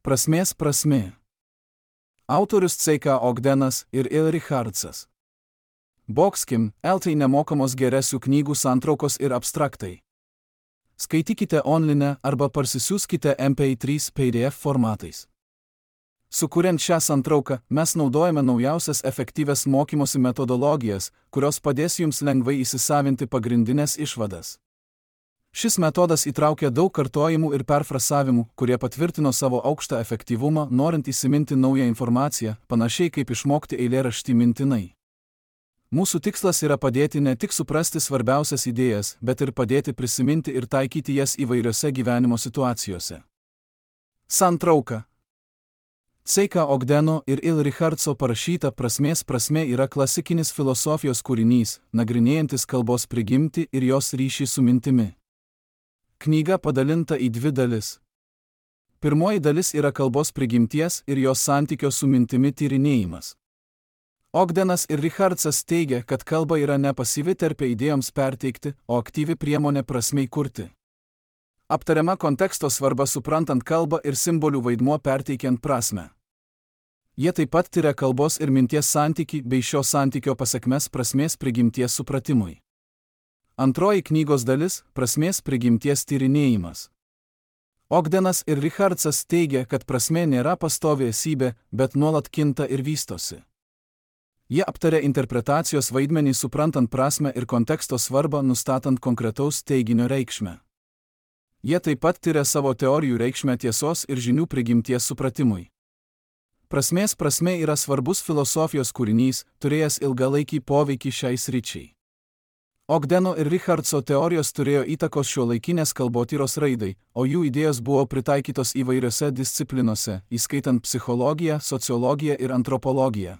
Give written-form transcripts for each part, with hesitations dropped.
Prasmės prasmė. Autorius C.K. Ogdenas ir Il Richardsas. Boxkim, LT nemokamos geresių knygų santraukos ir abstraktai. Skaitykite online arba parsisiųskite MP3 PDF formatais. Sukuriant šią santrauką, mes naudojame naujausias efektyvias mokymosi metodologijas, kurios padės jums lengvai įsisavinti pagrindinės išvadas. Šis metodas įtraukia daug kartojimų ir perfrasavimų, kurie patvirtino savo aukštą efektyvumą, norint įsiminti naują informaciją, panašiai kaip išmokti eilėraštį mintinai. Mūsų tikslas yra padėti ne tik suprasti svarbiausias idėjas, bet ir padėti prisiminti ir taikyti jas įvairiose gyvenimo situacijose. Santrauka. C.K. Ogdeno ir Il Richardso parašyta Prasmės prasmė yra klasikinis filosofijos kūrinys, nagrinėjantis kalbos prigimtį ir jos ryšį su mintimi. Knyga padalinta į dvi dalis. Pirmoji dalis yra kalbos prigimties ir jos santykio su mintimi tyrinėjimas. Ogdenas ir Richardsas teigia, kad kalba yra ne pasyvi terpė idėjoms perteikti, o aktyvi priemonė prasmei kurti. Aptariama konteksto svarba suprantant kalbą ir simbolių vaidmuo perteikiant prasmę. Jie taip pat tiria kalbos ir minties santykį bei šio santykio pasekmes prasmės prigimties supratimui. Antroji knygos dalis – prasmės prigimties tyrinėjimas. Ogdenas ir Richardsas teigia, kad prasmė nėra pastovi esybė, bet nuolat kinta ir vystosi. Jie aptaria interpretacijos vaidmenį suprantant prasmę ir konteksto svarbą nustatant konkretaus teiginio reikšmę. Jie taip pat tiria savo teorijų reikšmę tiesos ir žinių prigimties supratimui. Prasmės prasmė yra svarbus filosofijos kūrinys, turėjęs ilgalaikį poveikį šiai sričiai. Ogdeno ir Richardso teorijos turėjo įtakos šiuolaikinės kalbotyros raidai, o jų idėjos buvo pritaikytos įvairiose disciplinose, įskaitant psichologiją, sociologiją ir antropologiją.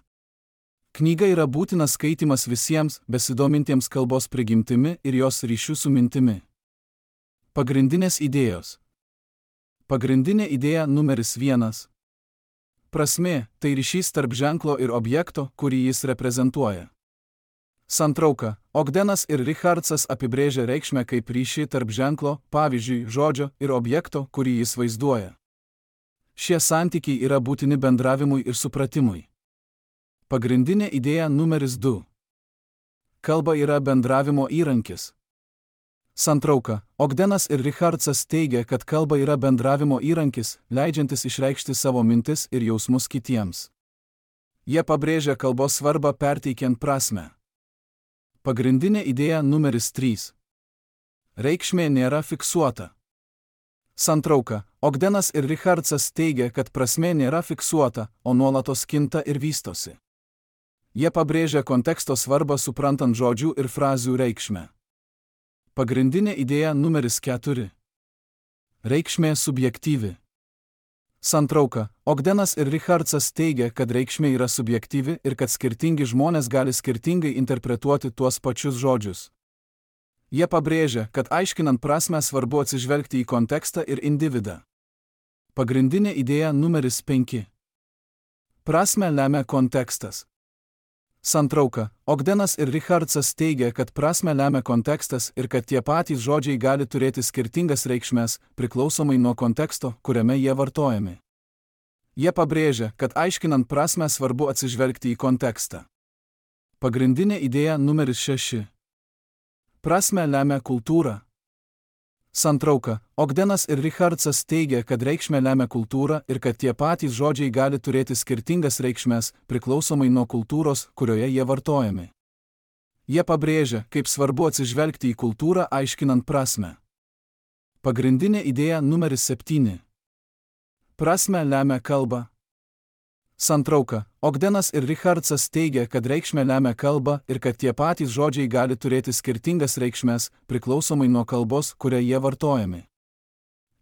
Knyga yra būtinas skaitimas visiems, besidomintiems kalbos prigimtimi ir jos ryšių su mintimi. Pagrindinės idėjos. Pagrindinė idėja numeris 1. Prasmė – tai ryšys tarp ženklo ir objekto, kurį jis reprezentuoja. Santrauka. Ogdenas ir Richardsas apibrėžia reikšmę kaip ryšį tarp ženklo, pavyzdžiui, žodžio ir objekto, kurį jis vaizduoja. Šie santykiai yra būtini bendravimui ir supratimui. Pagrindinė idėja numeris 2. Kalba yra bendravimo įrankis. Santrauka. Ogdenas ir Richardsas teigia, kad kalba yra bendravimo įrankis, leidžiantis išreikšti savo mintis ir jausmus kitiems. Jie pabrėžia kalbos svarbą perteikiant prasmę. Pagrindinė idėja numeris 3. Reikšmė nėra fiksuota. Santrauka. Ogdenas ir Richardsas teigia, kad prasmė nėra fiksuota, o nuolatos kinta ir vystosi. Jie pabrėžia konteksto svarbą suprantant žodžių ir frazių reikšmę. Pagrindinė idėja numeris 4. Reikšmė subjektyvi. Santrauka. Ogdenas ir Richardsas teigia, kad reikšmė yra subjektyvi ir kad skirtingi žmonės gali skirtingai interpretuoti tuos pačius žodžius. Jie pabrėžia, kad aiškinant prasmę svarbu atsižvelgti į kontekstą ir individą. Pagrindinė idėja numeris 5. Prasmę lemia kontekstas. Santrauka. Ogdenas ir Richardsas teigia, kad prasmę lemia kontekstas ir kad tie patys žodžiai gali turėti skirtingas reikšmes, priklausomai nuo konteksto, kuriame jie vartojami. Jie pabrėžia, kad aiškinant prasmę svarbu atsižvelgti į kontekstą. Pagrindinė idėja numeris 6. Prasmę lemia kultūra. Santrauka. Ogdenas ir Richardsas teigia, kad reikšmę lemia kultūra ir kad tie patys žodžiai gali turėti skirtingas reikšmes, priklausomai nuo kultūros, kurioje jie vartojami. Jie pabrėžia, kaip svarbu atsižvelgti į kultūrą aiškinant prasmę. Pagrindinė idėja numeris 7. Prasmę lemia kalba. Santrauka. Ogdenas ir Richardsas teigia, kad reikšmę lemia kalba ir kad tie patys žodžiai gali turėti skirtingas reikšmes, priklausomai nuo kalbos, kuria jie vartojami.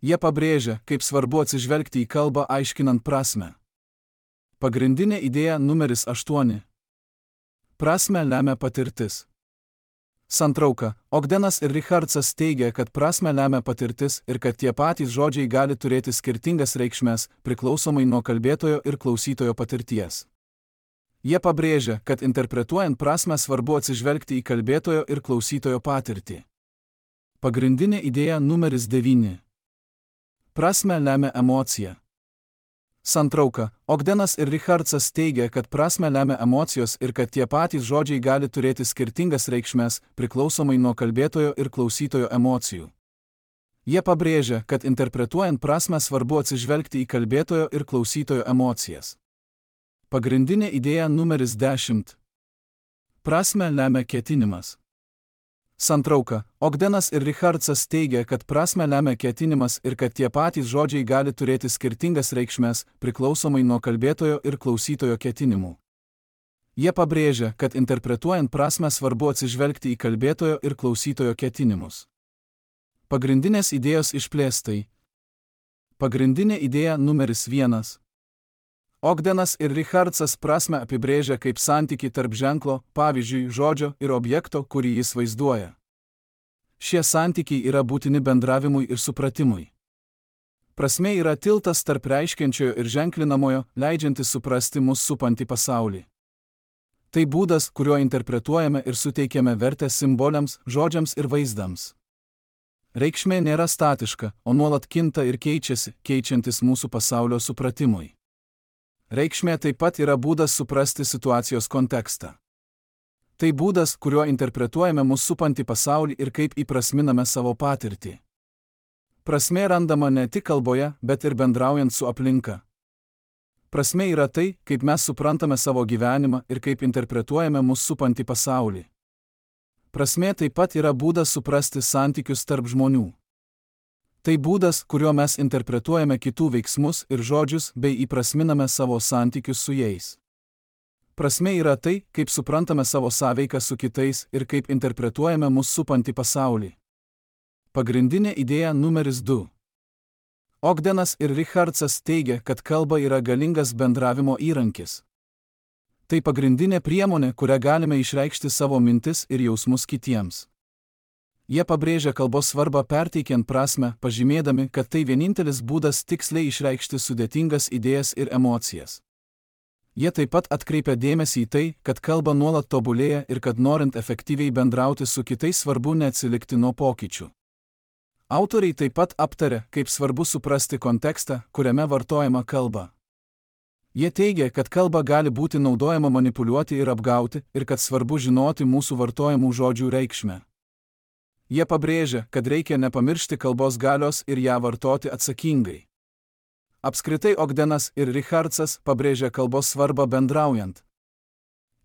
Jie pabrėžia, kaip svarbu atsižvelgti į kalbą aiškinant prasmę. Pagrindinė idėja numeris 8. Prasmę lemia patirtis. Santrauka. Ogdenas ir Richardsas teigia, kad prasmę lemia patirtis ir kad tie patys žodžiai gali turėti skirtingas reikšmes, priklausomai nuo kalbėtojo ir klausytojo patirties. Jie pabrėžia, kad interpretuojant prasmę svarbu atsižvelgti į kalbėtojo ir klausytojo patirtį. Pagrindinė idėja numeris 9. Prasmę lemia emocija. Santrauka. Ogdenas ir Richardsas teigia, kad prasmę lemia emocijos ir kad tie patys žodžiai gali turėti skirtingas reikšmes, priklausomai nuo kalbėtojo ir klausytojo emocijų. Jie pabrėžia, kad interpretuojant prasmę svarbu atsižvelgti į kalbėtojo ir klausytojo emocijas. Pagrindinė idėja numeris 10. Prasmę lemia ketinimas. Santrauka. Ogdenas ir Richardsas teigia, kad prasmę lemia ketinimas ir kad tie patys žodžiai gali turėti skirtingas reikšmes, priklausomai nuo kalbėtojo ir klausytojo ketinimų. Jie pabrėžia, kad interpretuojant prasmę svarbu atsižvelgti į kalbėtojo ir klausytojo ketinimus. Pagrindinės idėjos išplėstai. Pagrindinė idėja numeris 1. Ogdenas ir Richardsas prasmę apibrėžia kaip santykį tarp ženklo, pavyzdžiui, žodžio ir objekto, kurį jis vaizduoja. Šie santykiai yra būtini bendravimui ir supratimui. Prasmė yra tiltas tarp reiškiančiojo ir ženklinamojo, leidžiantis suprasti mus supantį pasaulį. Tai būdas, kuriuo interpretuojame ir suteikiame vertę simboliams, žodžiams ir vaizdams. Reikšmė nėra statiška, o nuolat kinta ir keičiasi, keičiantis mūsų pasaulio supratimui. Reikšmė taip pat yra būdas suprasti situacijos kontekstą. Tai būdas, kuriuo interpretuojame mūsų supantį pasaulį ir kaip įprasminame savo patirtį. Prasmė randama ne tik kalboje, bet ir bendraujant su aplinka. Prasmė yra tai, kaip mes suprantame savo gyvenimą ir kaip interpretuojame mūsų supantį pasaulį. Prasmė taip pat yra būdas suprasti santykius tarp žmonių. Tai būdas, kuriuo mes interpretuojame kitų veiksmus ir žodžius bei įprasminame savo santykius su jais. Prasmė yra tai, kaip suprantame savo sąveiką su kitais ir kaip interpretuojame mūsų supantį pasaulį. Pagrindinė idėja numeris 2. Ogdenas ir Richardsas teigia, kad kalba yra galingas bendravimo įrankis. Tai pagrindinė priemonė, kurią galime išreikšti savo mintis ir jausmus kitiems. Jie pabrėžia kalbos svarbą perteikiant prasmę, pažymėdami, kad tai vienintelis būdas tiksliai išreikšti sudėtingas idėjas ir emocijas. Jie taip pat atkreipia dėmesį į tai, kad kalba nuolat tobulėja ir kad norint efektyviai bendrauti su kitais svarbu neatsilikti nuo pokyčių. Autoriai taip pat aptaria, kaip svarbu suprasti kontekstą, kuriame vartojama kalba. Jie teigia, kad kalba gali būti naudojama manipuliuoti ir apgauti ir kad svarbu žinoti mūsų vartojamų žodžių reikšmę. Jie pabrėžia, kad reikia nepamiršti kalbos galios ir ją vartoti atsakingai. Apskritai Ogdenas ir Richardsas pabrėžia kalbos svarbą bendraujant.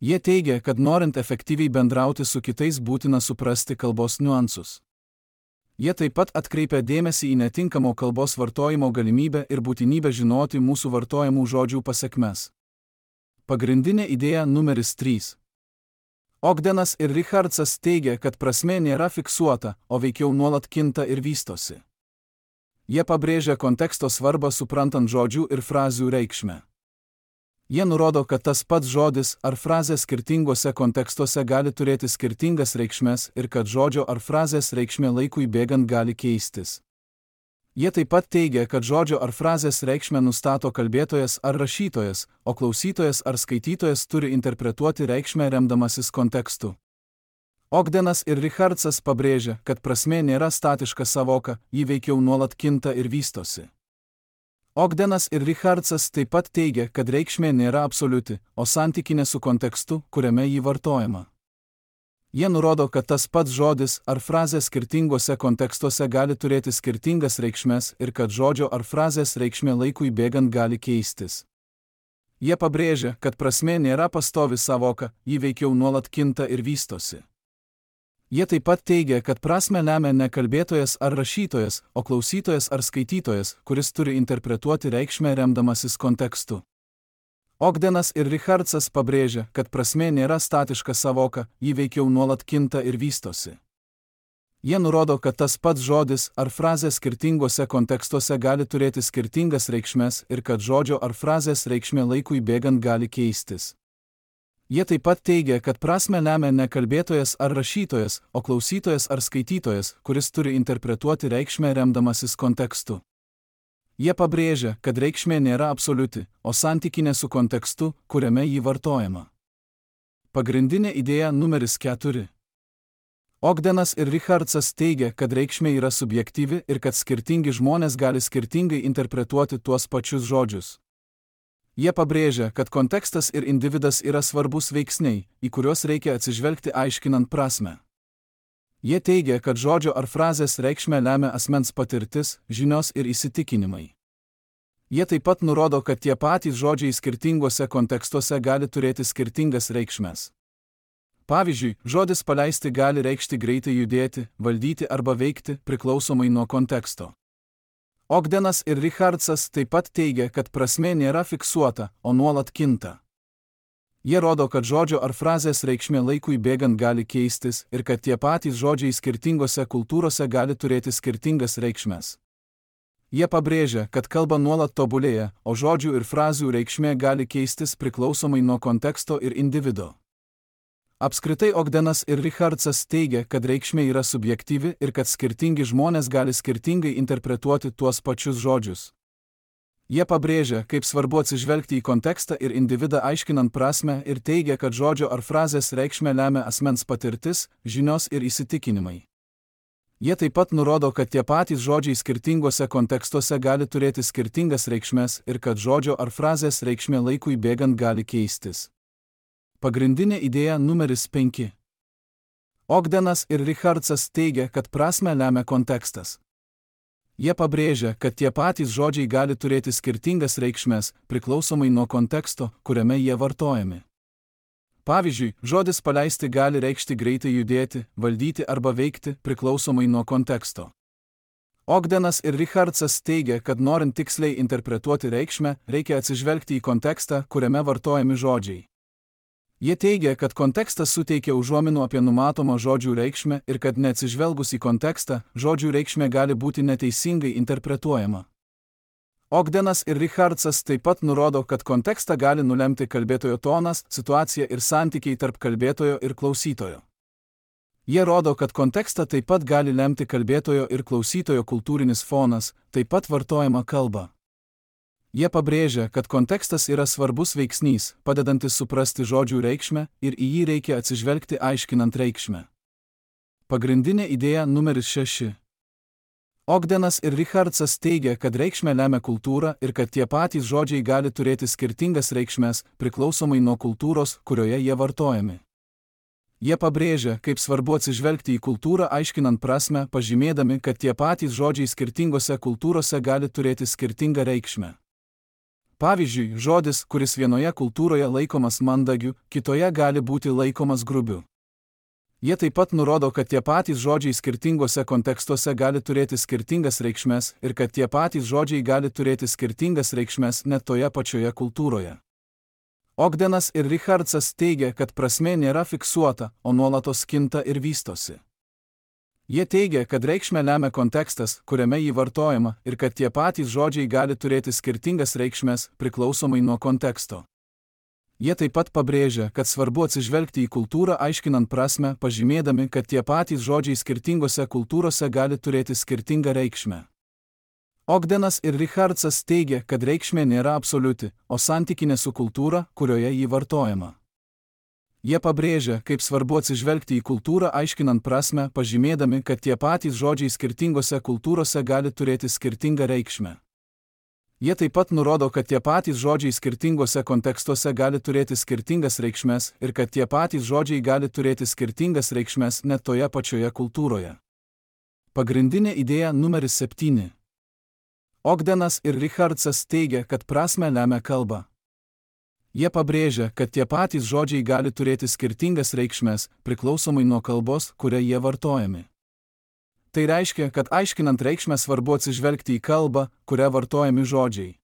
Jie teigia, kad norint efektyviai bendrauti su kitais būtina suprasti kalbos niuansus. Jie taip pat atkreipia dėmesį į netinkamo kalbos vartojimo galimybę ir būtinybę žinoti mūsų vartojamų žodžių pasekmes. Pagrindinė idėja numeris 3. Ogdenas ir Richardsas teigia, kad prasmė nėra fiksuota, o veikiau nuolat kinta ir vystosi. Jie pabrėžia konteksto svarbą suprantant žodžių ir frazių reikšmę. Jie nurodo, kad tas pats žodis ar frazė skirtinguose kontekstuose gali turėti skirtingas reikšmes ir kad žodžio ar frazės reikšmė laikui bėgant gali keistis. Jie taip pat teigia, kad žodžio ar frazės reikšmę nustato kalbėtojas ar rašytojas, o klausytojas ar skaitytojas turi interpretuoti reikšmę remdamasis kontekstu. Ogdenas ir Richardsas pabrėžia, kad prasmė nėra statiška savoka, ji veikiau nuolat kinta ir vystosi. Ogdenas ir Richardsas taip pat teigia, kad reikšmė nėra absoliuti, o santykinė su kontekstu, kuriame ji vartojama. Jie nurodo, kad tas pats žodis ar frazė skirtinguose kontekstuose gali turėti skirtingas reikšmes ir kad žodžio ar frazės reikšmė laikui bėgant gali keistis. Jie pabrėžia, kad prasmė nėra pastovi savoka, ji veikiau nuolat kinta ir vystosi. Jie taip pat teigia, kad prasmę lemia ne kalbėtojas ar rašytojas, o klausytojas ar skaitytojas, kuris turi interpretuoti reikšmę remdamasis kontekstu. Ogdenas ir Richardsas pabrėžia, kad prasmė nėra statiška savoka, ji veikiau nuolat kinta ir vystosi. Jie nurodo, kad tas pats žodis ar frazė skirtinguose kontekstuose gali turėti skirtingas reikšmes ir kad žodžio ar frazės reikšmė laikui bėgant gali keistis. Jie taip pat teigia, kad prasmę lemia ne kalbėtojas ar rašytojas, o klausytojas ar skaitytojas, kuris turi interpretuoti reikšmę remdamasis kontekstu. Jie pabrėžia, kad reikšmė nėra absoliuti, o santykinė su kontekstu, kuriame ji vartojama. Pagrindinė idėja numeris 4. Ogdenas ir Richardsas teigia, kad reikšmė yra subjektyvi ir kad skirtingi žmonės gali skirtingai interpretuoti tuos pačius žodžius. Jie pabrėžia, kad kontekstas ir individas yra svarbus veiksniai, į kuriuos reikia atsižvelgti aiškinant prasmę. Jie teigia, kad žodžio ar frazės reikšmę lemia asmens patirtis, žinios ir įsitikinimai. Jie taip pat nurodo, kad tie patys žodžiai skirtinguose kontekstuose gali turėti skirtingas reikšmes. Pavyzdžiui, žodis paleisti gali reikšti greitai judėti, valdyti arba veikti, priklausomai nuo konteksto. Ogdenas ir Richardsas taip pat teigia, kad prasmė nėra fiksuota, o nuolat kinta. Jie rodo, kad žodžio ar frazės reikšmė laikui bėgant gali keistis ir kad tie patys žodžiai skirtingose kultūrose gali turėti skirtingas reikšmes. Jie pabrėžia, kad kalba nuolat tobulėja, o žodžių ir frazių reikšmė gali keistis priklausomai nuo konteksto ir individo. Apskritai Ogdenas ir Richardsas teigia, kad reikšmė yra subjektyvi ir kad skirtingi žmonės gali skirtingai interpretuoti tuos pačius žodžius. Jie pabrėžia, kaip svarbu atsižvelgti į kontekstą ir individą aiškinant prasmę ir teigia, kad žodžio ar frazės reikšmę lemia asmens patirtis, žinios ir įsitikinimai. Jie taip pat nurodo, kad tie patys žodžiai skirtingose kontekstuose gali turėti skirtingas reikšmes ir kad žodžio ar frazės reikšmė laikui bėgant gali keistis. Pagrindinė idėja numeris 5. Ogdenas ir Richardsas teigia, kad prasmę lemia kontekstas. Jie pabrėžia, kad tie patys žodžiai gali turėti skirtingas reikšmes, priklausomai nuo konteksto, kuriame jie vartojami. Pavyzdžiui, žodis paleisti gali reikšti greitai judėti, valdyti arba veikti, priklausomai nuo konteksto. Ogdenas ir Richardsas teigia, kad norint tiksliai interpretuoti reikšmę, reikia atsižvelgti į kontekstą, kuriame vartojami žodžiai. Jie teigia, kad kontekstas suteikia užuominų apie numatomą žodžių reikšmę ir kad neatsižvelgus į kontekstą, žodžių reikšmė gali būti neteisingai interpretuojama. Ogdenas ir Richardsas taip pat nurodo, kad kontekstą gali nulemti kalbėtojo tonas, situacija ir santykiai tarp kalbėtojo ir klausytojo. Jie rodo, kad kontekstą taip pat gali lemti kalbėtojo ir klausytojo kultūrinis fonas, taip pat vartojama kalba. Jie pabrėžia, kad kontekstas yra svarbus veiksnys, padedantis suprasti žodžių reikšmę ir į jį reikia atsižvelgti aiškinant reikšmę. Pagrindinė idėja numeris 6. Ogdenas ir Richardsas teigia, kad reikšmę lemia kultūra ir kad tie patys žodžiai gali turėti skirtingas reikšmes, priklausomai nuo kultūros, kurioje jie vartojami. Jie pabrėžia, kaip svarbu atsižvelgti į kultūrą aiškinant prasmę, pažymėdami, kad tie patys žodžiai skirtingose kultūrose gali turėti skirtingą reikšmę. Pavyzdžiui, žodis, kuris vienoje kultūroje laikomas mandagiu, kitoje gali būti laikomas grubiu. Jie taip pat nurodo, kad tie patys žodžiai skirtingose kontekstuose gali turėti skirtingas reikšmes ir kad tie patys žodžiai gali turėti skirtingas reikšmes net toje pačioje kultūroje. Ogdenas ir Richardsas teigia, kad prasmė nėra fiksuota, o nuolatos kinta ir vystosi. Jie teigia, kad reikšmę lemia kontekstas, kuriame jį vartojama, ir kad tie patys žodžiai gali turėti skirtingas reikšmes, priklausomai nuo konteksto. Jie taip pat pabrėžia, kad svarbu atsižvelgti į kultūrą aiškinant prasmę, pažymėdami, kad tie patys žodžiai skirtingose kultūrose gali turėti skirtingą reikšmę. Ogdenas ir Richardsas teigia, kad reikšmė nėra absoliuti, o santykinė su kultūra, kurioje jį vartojama. Jie pabrėžia, kaip svarbu atsižvelgti į kultūrą aiškinant prasmę, pažymėdami, kad tie patys žodžiai skirtingose kultūrose gali turėti skirtingą reikšmę. Jie taip pat nurodo, kad tie patys žodžiai skirtingose kontekstuose gali turėti skirtingas reikšmes ir kad tie patys žodžiai gali turėti skirtingas reikšmes net toje pačioje kultūroje. Pagrindinė idėja numeris 7. Ogdenas ir Richardsas teigia, kad prasmę lemia kalba. Jie pabrėžia, kad tie patys žodžiai gali turėti skirtingas reikšmes, priklausomai nuo kalbos, kuria jie vartojami. Tai reiškia, kad aiškinant reikšmę svarbu atsižvelgti į kalbą, kuria vartojami žodžiai.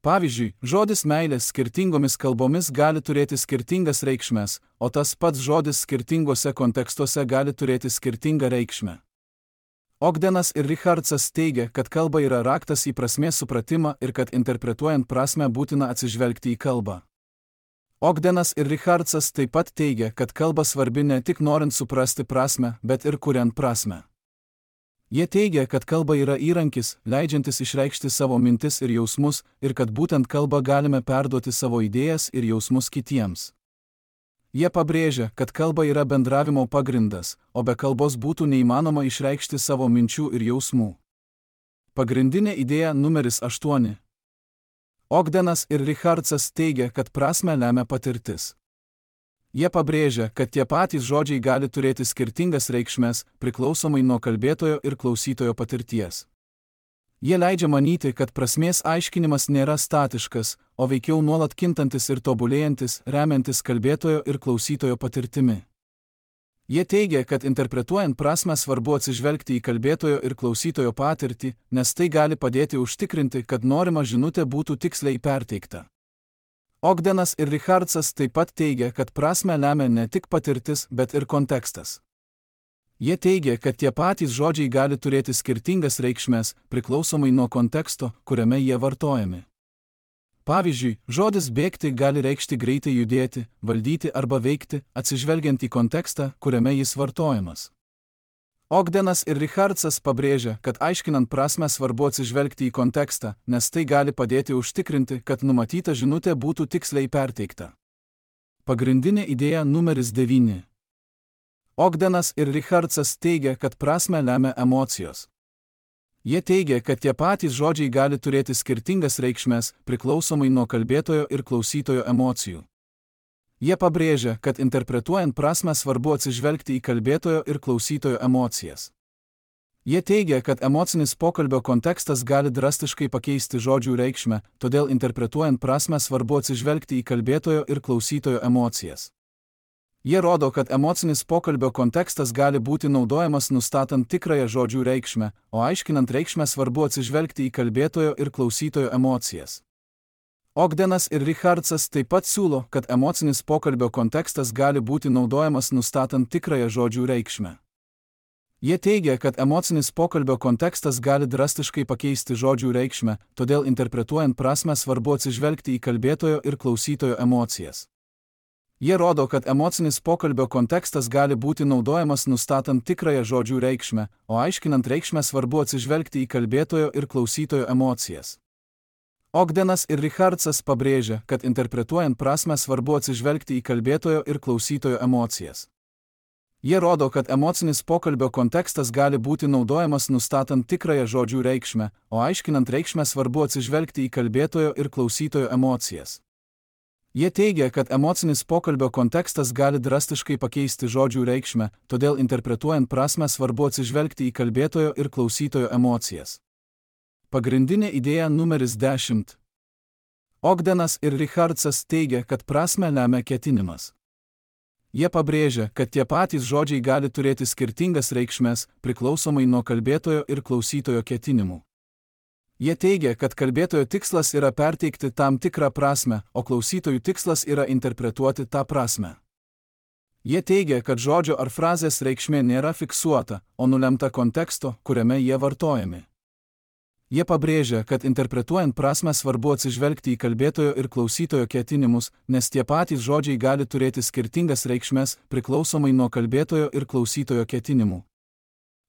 Pavyzdžiui, žodis meilės skirtingomis kalbomis gali turėti skirtingas reikšmes, o tas pats žodis skirtingose kontekstuose gali turėti skirtingą reikšmę. Ogdenas ir Richardsas teigia, kad kalba yra raktas į prasmės supratimą ir kad interpretuojant prasmę būtina atsižvelgti į kalbą. Ogdenas ir Richardsas taip pat teigia, kad kalba svarbi ne tik norint suprasti prasmę, bet ir kuriant prasmę. Jie teigia, kad kalba yra įrankis, leidžiantis išreikšti savo mintis ir jausmus, ir kad būtent kalba galime perduoti savo idėjas ir jausmus kitiems. Jie pabrėžia, kad kalba yra bendravimo pagrindas, o be kalbos būtų neįmanoma išreikšti savo minčių ir jausmų. Pagrindinė idėja numeris 8. Ogdenas ir Richardsas teigia, kad prasmę lemia patirtis. Jie pabrėžia, kad tie patys žodžiai gali turėti skirtingas reikšmes, priklausomai nuo kalbėtojo ir klausytojo patirties. Jie leidžia manyti, kad prasmės aiškinimas nėra statiškas, o veikiau nuolat kintantis ir tobulėjantis, remiantis kalbėtojo ir klausytojo patirtimi. Jie teigia, kad interpretuojant prasmę svarbu atsižvelgti į kalbėtojo ir klausytojo patirtį, nes tai gali padėti užtikrinti, kad norima žinutė būtų tiksliai perteikta. Ogdenas ir Richardsas taip pat teigia, kad prasmę lemia ne tik patirtis, bet ir kontekstas. Jie teigia, kad tie patys žodžiai gali turėti skirtingas reikšmes, priklausomai nuo konteksto, kuriame jie vartojami. Pavyzdžiui, žodis bėgti gali reikšti greitai judėti, valdyti arba veikti, atsižvelgiant į kontekstą, kuriame jis vartojamas. Ogdenas ir Richardsas pabrėžia, kad aiškinant prasmę svarbu atsižvelgti į kontekstą, nes tai gali padėti užtikrinti, kad numatyta žinutė būtų tiksliai perteikta. Pagrindinė idėja numeris 9. Ogdenas ir Richardsas teigia, kad prasmę lemia emocijos. Jie teigia, kad tie patys žodžiai gali turėti skirtingas reikšmes, priklausomai nuo kalbėtojo ir klausytojo emocijų. Jie pabrėžia, kad interpretuojant prasmę svarbu atsižvelgti į kalbėtojo ir klausytojo emocijas. Jie teigia, kad emocinis pokalbio kontekstas gali drastiškai pakeisti žodžių reikšmę, todėl interpretuojant prasmę svarbu atsižvelgti į kalbėtojo ir klausytojo emocijas. Jie rodo, kad emocinis pokalbio kontekstas gali būti naudojamas nustatant tikrąją žodžių reikšmę, o aiškinant reikšmę svarbu atsižvelgti į kalbėtojo ir klausytojo emocijas. Ogdenas ir Richardsas taip pat siūlo, kad emocinis pokalbio kontekstas gali būti naudojamas nustatant tikrąją žodžių reikšmę. Jie teigia, kad emocinis pokalbio kontekstas gali drastiškai pakeisti žodžių reikšmę, todėl interpretuojant prasmę svarbu atsižvelgti į kalbėtojo ir klausytojo emocijas. Jie rodo, kad emocinis pokalbio kontekstas gali būti naudojamas nustatant tikrąją žodžių reikšmę, o aiškinant reikšmę svarbu atsižvelgti į kalbėtojo ir klausytojo emocijas. Ogdenas ir Richardsas pabrėžia, kad interpretuojant prasmę svarbu atsižvelgti į kalbėtojo ir klausytojo emocijas. Jie rodo, kad emocinis pokalbio kontekstas gali būti naudojamas nustatant tikrąją žodžių reikšmę, o aiškinant reikšmę svarbu atsižvelgti į kalbėtojo ir klausytojo emocijas. Jie teigia, kad emocinis pokalbio kontekstas gali drastiškai pakeisti žodžių reikšmę, todėl interpretuojant prasmę svarbu atsižvelgti į kalbėtojo ir klausytojo emocijas. Pagrindinė idėja numeris 10. Ogdenas ir Richardsas teigia, kad prasmę lemia ketinimas. Jie pabrėžia, kad tie patys žodžiai gali turėti skirtingas reikšmes, priklausomai nuo kalbėtojo ir klausytojo ketinimų. Jie teigia, kad kalbėtojo tikslas yra perteikti tam tikrą prasmę, o klausytojų tikslas yra interpretuoti tą prasmę. Jie teigia, kad žodžio ar frazės reikšmė nėra fiksuota, o nulemta konteksto, kuriame jie vartojami. Jie pabrėžia, kad interpretuojant prasmę svarbu atsižvelgti į kalbėtojo ir klausytojo ketinimus, nes tie patys žodžiai gali turėti skirtingas reikšmes, priklausomai nuo kalbėtojo ir klausytojo ketinimų.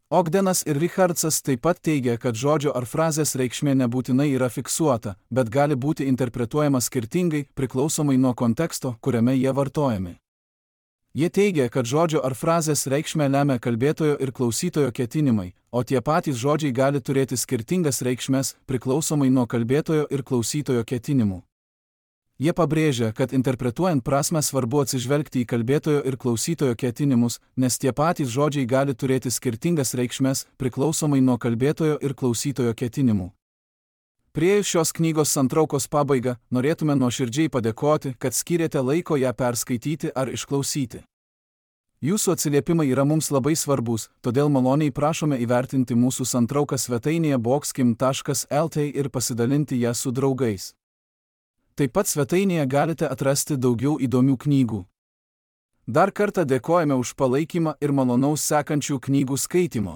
Ogdenas ir Richardsas taip pat teigia, kad žodžio ar frazės reikšmė nebūtinai yra fiksuota, bet gali būti interpretuojama skirtingai, priklausomai nuo konteksto, kuriame jie vartojami. Jie teigia, kad žodžio ar frazės reikšmę lemia kalbėtojo ir klausytojo ketinimai, o tie patys žodžiai gali turėti skirtingas reikšmes, priklausomai nuo kalbėtojo ir klausytojo ketinimų. Jie pabrėžia, kad interpretuojant prasmę svarbu atsižvelgti į kalbėtojo ir klausytojo ketinimus, nes tie patys žodžiai gali turėti skirtingas reikšmes, priklausomai nuo kalbėtojo ir klausytojo ketinimų. Priėjus šios knygos santraukos pabaigą, norėtume nuoširdžiai padėkoti, kad skyrėte laiko ją perskaityti ar išklausyti. Jūsų atsiliepimai yra mums labai svarbus, todėl maloniai prašome įvertinti mūsų santrauką svetainėje boxkim.lt ir pasidalinti ją su draugais. Taip pat svetainėje galite atrasti daugiau įdomių knygų. Dar kartą dėkojame už palaikymą ir malonaus sekančių knygų skaitimo.